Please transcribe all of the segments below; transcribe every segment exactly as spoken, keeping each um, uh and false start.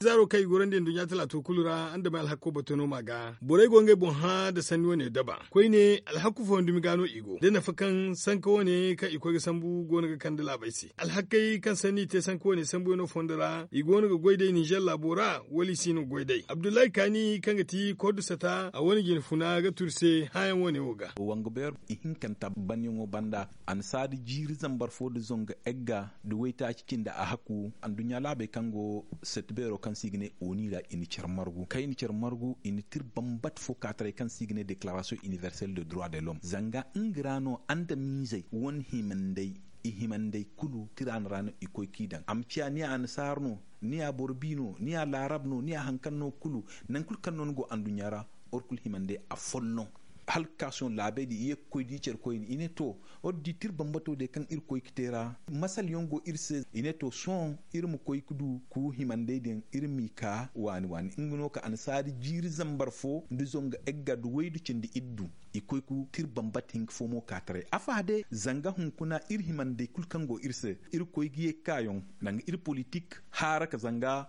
Zaaro kaŋ i gorandi nduɲɲa talaato kulu ra andamay alhakko batono ma ga borey go ngey boŋ hã nda sanni wane daba koyne alhakku fooyaŋ dumi ga no i go da nafa kaŋ sanka wane kaŋ i koy ga sambu go no ga kande laabey se. Alhakkey kaŋ sanni i te sanka wane sambuyaŋo fondo ra i go no ga goy day ninzeer laabo ra wala i si no ga goy day abdullahi kaani kaŋ ga ti kordu sata a wane jine funa ga turu se hãyaŋ wane wo ga. Wanga beero ihinkanta banyaŋo banda annasaari jiiri zambar fo nda zangu egga nda waytaaci cindi a hakku anduɲɲa laabey kaŋ go sette beero kaŋ se i ga ne oni ra i na care margu kaŋ i na care margu i na tira bambata fo ka taray kaŋ se i ga ne declaration universelle de droit de l'homme zanga nga ra no andamiizey wane himandey i himandey kulu tira no ra no i koy kaŋ i daŋ a ma ciya ni ya annasaara no ni ya boro bi no ni ya laarab no ni ya hari kaŋ no kulu nangu kulu kaŋ no ni go anduɲɲa ra. War kulu himandey afolloŋ hala ga ka sohõ laabey din i ye ga koy da i care koyne i ne to war da i tira bambato day kaŋ iri koy ga te ra masalayaŋ go iri se i ne to sohõ iri ma koy ga du ku himandey din iri m'i ka waani waani nga no ka annasaari jiiri zambar fo nda zangu egga nda waydu cindi iri du i koy ga tira bambata hinka fo mo ka taray afa day zanga hunkuna iri himandey kulu kaŋ go iri se iri koy ga ye ga ka yaŋ danga iri politik haaraka zanga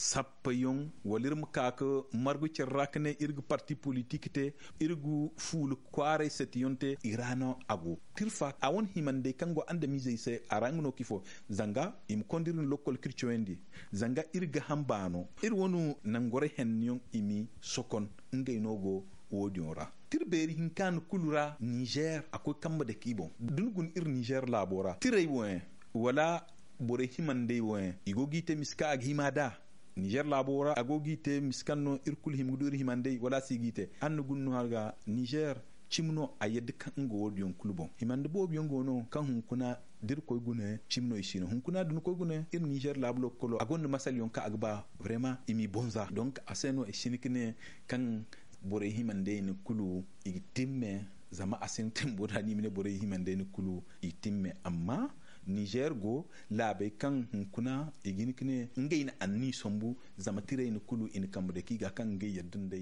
sappayaŋ wala iri ma ka ga margu care ra ga ne iri ga parti politik te iri ga fuula kwaaray setiyaŋ te i ra no a go tirfa a wane himandey kaŋ go andamiizey se a ra nga no kaŋ ifo zanga i ma konda iri na lokkol kaŋ iri cawandi zanga iri gaaham baano iri wane nangorey hennayaŋ i m'i sokon ngey no go wo- din ra tira beeri hinka no kulu ra ninzeer a koy kambe dake i boŋ da ni guna iri ninzeer laabo ra tirey wo yaŋ wala borey himandey wo yaŋ i go ga i te misa kaŋ a ga hima nd'a ninzeer laabo ra a go ga i te misa kaŋ no iri kulu hima ga du iri himandey wala a si ga i te hala ni guna no a ga ninzeer cimi no a yadda kaŋ nga wo- din yaŋ kulu boŋ himandi boobo yaŋ go no kaŋ hunkuna da iri koy guna cimi no i si no hunkuna da ni koy guna iri ninzeer laabu lokkolo a gonda masalayaŋ kaŋ a ga ba vraiment i m'i bonza donk a se no i si hin ga ne kaŋ borey himandey ni kulu i ga timme zama a sintin bora no i ma ne borey himandey ni kulu i timme amma ninzeer go laabey kaŋ hunkuna i ga hin ga ne ngey na anniya sambu zama tirey ni kulu i na kambe dake i ga kaŋ ngey yadda nd'ey.